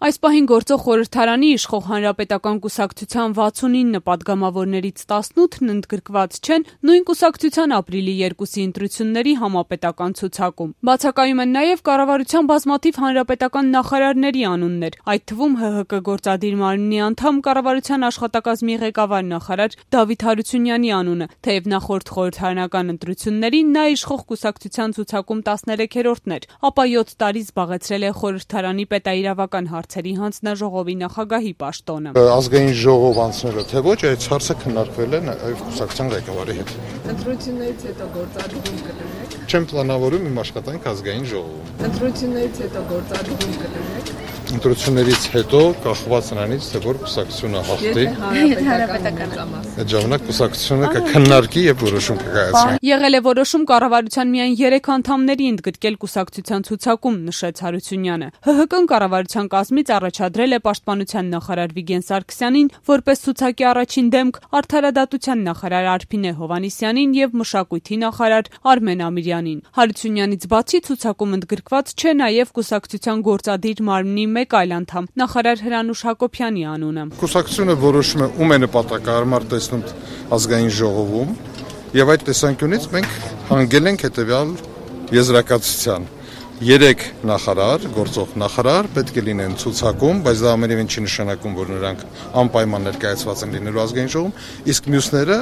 Այս պահին գործող խորհրդարանի իշխող Հանրապետական կուսակցության 69 պատգամավորներից 18-ն ընդգրկված չեն նույն կուսակցության ապրիլի 2-ի ընտրությունների համապետական ցուցակում։ Բացակայում են նաև կառավարության բազմաթիվ հանրապետական նախարարների անուններ, այդ թվում ՀՀԿ գործադիր մարմնի անդամ, կառավարության աշխատակազմի ղեկավար նախարար Դավիթ Հարությունյանի անունը, թեև նախորդ խորհրդարանական ընտրություններին նա իշխող կուսակցության ցուցակում 13-րդն էր, ապա 7 տարի զբաղեցրել է խորհրդարանի պետաիրավական հարցերի հանձնաժողովի նախագահի պաշտոնը։ Ազգային ժողով անցնելը թե ոչ, այս հարցը քննարկվել է նաև կուսակցության ղեկավարի հետ։ Ընտրություններից հետո գործադիրում կդնեք։ Չեմ պլանավորում իմ աշխատանք ազգային ժողովում։ Ընտրություններից հետո գործադիրում կդնեք։ Ընտրություններից հետո կախված նրանից, թե որ կուսակցությունը հաղթի, այդ ժամանակ կուսակցությունը կքննարկի եւ որոշում կկայացնի։ Եղել է որոշում կառավարության միայն 3 անդամների ընդգրկել կուսակցության ցուցակում, նշեց Հարությունյանը։ ՀՀԿ-ն կառավարության կազմից առաջադրել է պաշտպանության նախարար Վիգեն Սարգսյանին, որպես ցուցակի առաջին դեմք, արդարադատության նախարար Արփինե Հովհաննիսյանին եւ մշակույթի նախարար Արմեն Ամիրյանին։ Հարությունյանից բացի ցուցակում ընդգրկված չէ նաեւ կուսակցության գործադիր մարմնի մեկ այլ անդամ, նախարար Հրանուշ Հակոբյանի անունը։ Կուսակցությունը որոշում է ում է նպատակահարմար տեսնում ազգային ժողովում, եւ այդ տեսանկյունից մենք հանգել ենք հետեւյալ եզրակացության. 3 նախարար, գործող նախարար պետք է լինեն ցուցակում, բայց դա ամենևին չի նշանակում, որ նրանք անպայման ներկայացված են լինելու ազգային ժողովում, իսկ մյուսները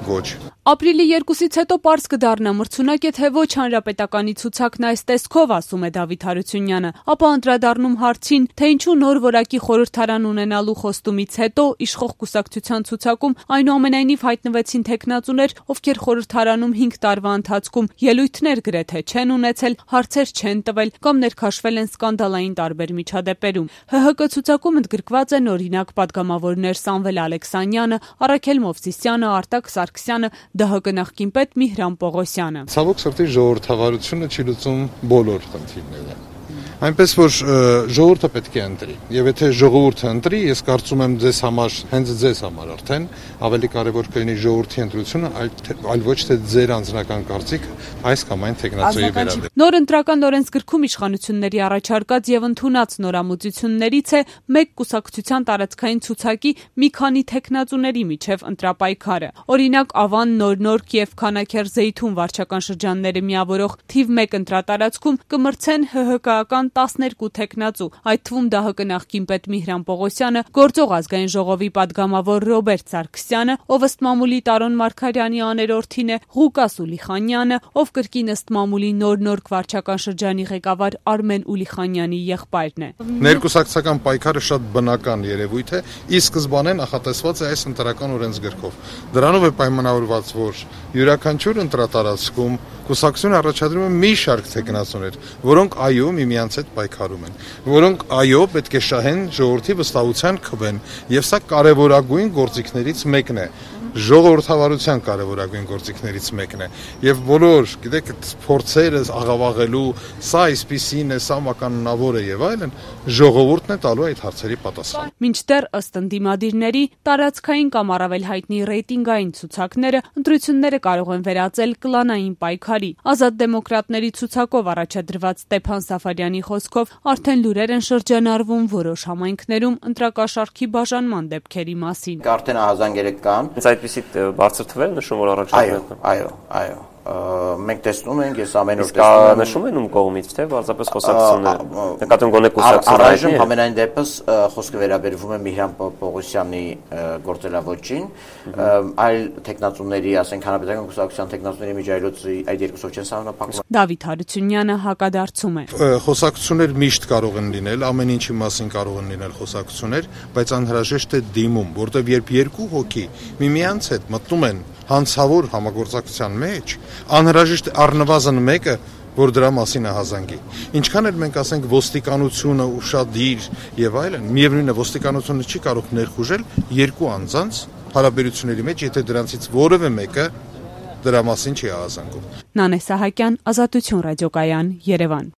ոչ։ Ապրիլի 2-ից հետո պարզ կդառնա մրցունակ է թե ոչ հանրապետականի ցուցակն այս տեսքով, ասում է Դավիթ Հարությունյանը, ապա անդրադառնում հարցին, թե ինչու նոր որակի խորհրդարան ունենալու խոստումից հետո իշխող կուսակցության ցուցակում այնուամենայնիվ հայտնվեցին տեխնացուներ, ովքեր խորհրդարանում 5 տարվա ընթացքում ելույթներ գրեթե չեն ունեցել, հարցեր չեն տվել կամ ներքաշվել են սկանդալային տարբեր միջադեպերում։ ՀՀԿ ցուցակում ընդգրկված են օրինակ պատգամավորներ Սամվել Ալեքսանյանը, Առաքել Մովսիսյանը, Արտակ Սարգսյանը, ԴՀԿ նախկին պետ Միհրան Պողոսյանը։ Ցավոք սրտի ժողովրդավարությունը չի լուծում բոլոր խնդիրները։ Այնպես որ ժողովուրդը պետք է ընտրի։ Եվ եթե ժողովուրդը ընտրի, ես կարծում եմ ձեզ համար, հենց ձեզ համար արդեն ավելի կարևոր կլինի ժողովրդի ընտրությունը, այլ ոչ թե ձեր անձնական կարծիքը այս կամ այն տեխնացուի վերաբերյալ։ Նոր ընտրական օրենսգրքում իշխանությունների առաջարկած եւ ընդունած նորամուծություններից է մեկ կուսակցության տարածքային ցուցակի մի քանի տեխնացուների միջև ընտրապայքարը։ Օրինակ Ավան, Նոր-Նորք եւ Քանաքեր-Զեյթուն վարչական շրջանները միավորող թիվ 1 ընտրատարածքում կմրցեն ՀՀԿ-ական 12 տեխնացու, այդ թվում ԴՀԿ նախկին պետ Միհրան Պողոսյանը, գործող ազգային ժողովի պատգամավոր Ռոբերտ Սարգսյանը, ով ըստ մամուլի Տարոն Մարգարյանի աներորդին է, Ղուկաս Ուլիխանյանը, ով կրկին ըստ մամուլի Նոր-Նորք վարչական շրջանի ղեկավար Արմեն Ուլիխանյանի եղբայրն է։ Ներկուսակցական պայքարը շատ բնական երևույթ է, ի սկզբանե նախատեսված է այս ընտրական օրենսգրքով։ Դրանով է պայմանավորված, որ յուրաքանչյուր ընտրատարածքում կուսակցությունը առաջադրում է մի շարք տեխնացուներ, որոնք այո միմյանց հետ պայքարում են, որոնք այո պետք է շահեն ժողովրդի վստահության քվեն, եւ սա կարևորագույն գործիքներից մեկն է, ժողովրդավարության կարևորագույն գործիքներից մեկն է, եւ բոլոր, գիտեք, փորձերը աղավաղելու, սա այսպիսին է, սա մականունավոր է եւ այլն, ժողովուրդն է տալու այդ հարցերի պատասխան։ Մինչդեռ ըստ ընդդիմադիրների տարածքային կամ առավել հայտնի ռեյտինգային ցուցակները ընտրությունները կարող են վերածել կլանային պայքարի։ Ազատ դեմոկրատների ցուցակով առաջադրված Ստեփան Սաֆարյանի խոսքով արդեն լուրեր են շրջանառվում որոշ համայնքներում ընտրակաշառքի բաժանման դեպքերի մասին։ Արդեն ահազանգերը կան։ Այդպիսի բարձր թվեր նշում որ առաջադրվում։ Այո։ Մենք տեսնում ենք, ես ամեն օր տեսնում եմ նշում են ում կողմից, թե պարզապես խոսակցությունները։ Նկատում գոնե կուսակցությունները։ Առայժմ ամենայն դեպս խոսքը վերաբերվում է Միհրան Պողոսյանի գործելավոճին, այլ տեխնացուների, ասենք հանրապետական կուսակցության տեխնացուների միջայլոցի այդ երկուսով չեն սահմանափակվում։ Դավիթ Հարությունյանը հակադարձում է։ Խոսակցություններ միշտ կարող են լինել, ամեն ինչի մասին կարող են լինել խոսակցություններ, բայց անհրաժեշտ է դիմում, որտեղ երբ երկու հոգի միմյանց հետ մտնում են հանցավոր համագործակցության մեջ, անհրաժեշտ է առնվազն մեկը, որ դրա մասին ահազանգի։ Ինչքան էլ մենք ասենք ոստիկանությունը ուշադիր եւ այլն, միևնույն է ոստիկանությունը չի կարող ներխուժել երկու անձանց հարաբերությունների մեջ, եթե դրանցից որևէ մեկը դրա մասին չի ահազանգում։ Նանե Սահակյան, Ազատություն ռադիոկայան, Երևան։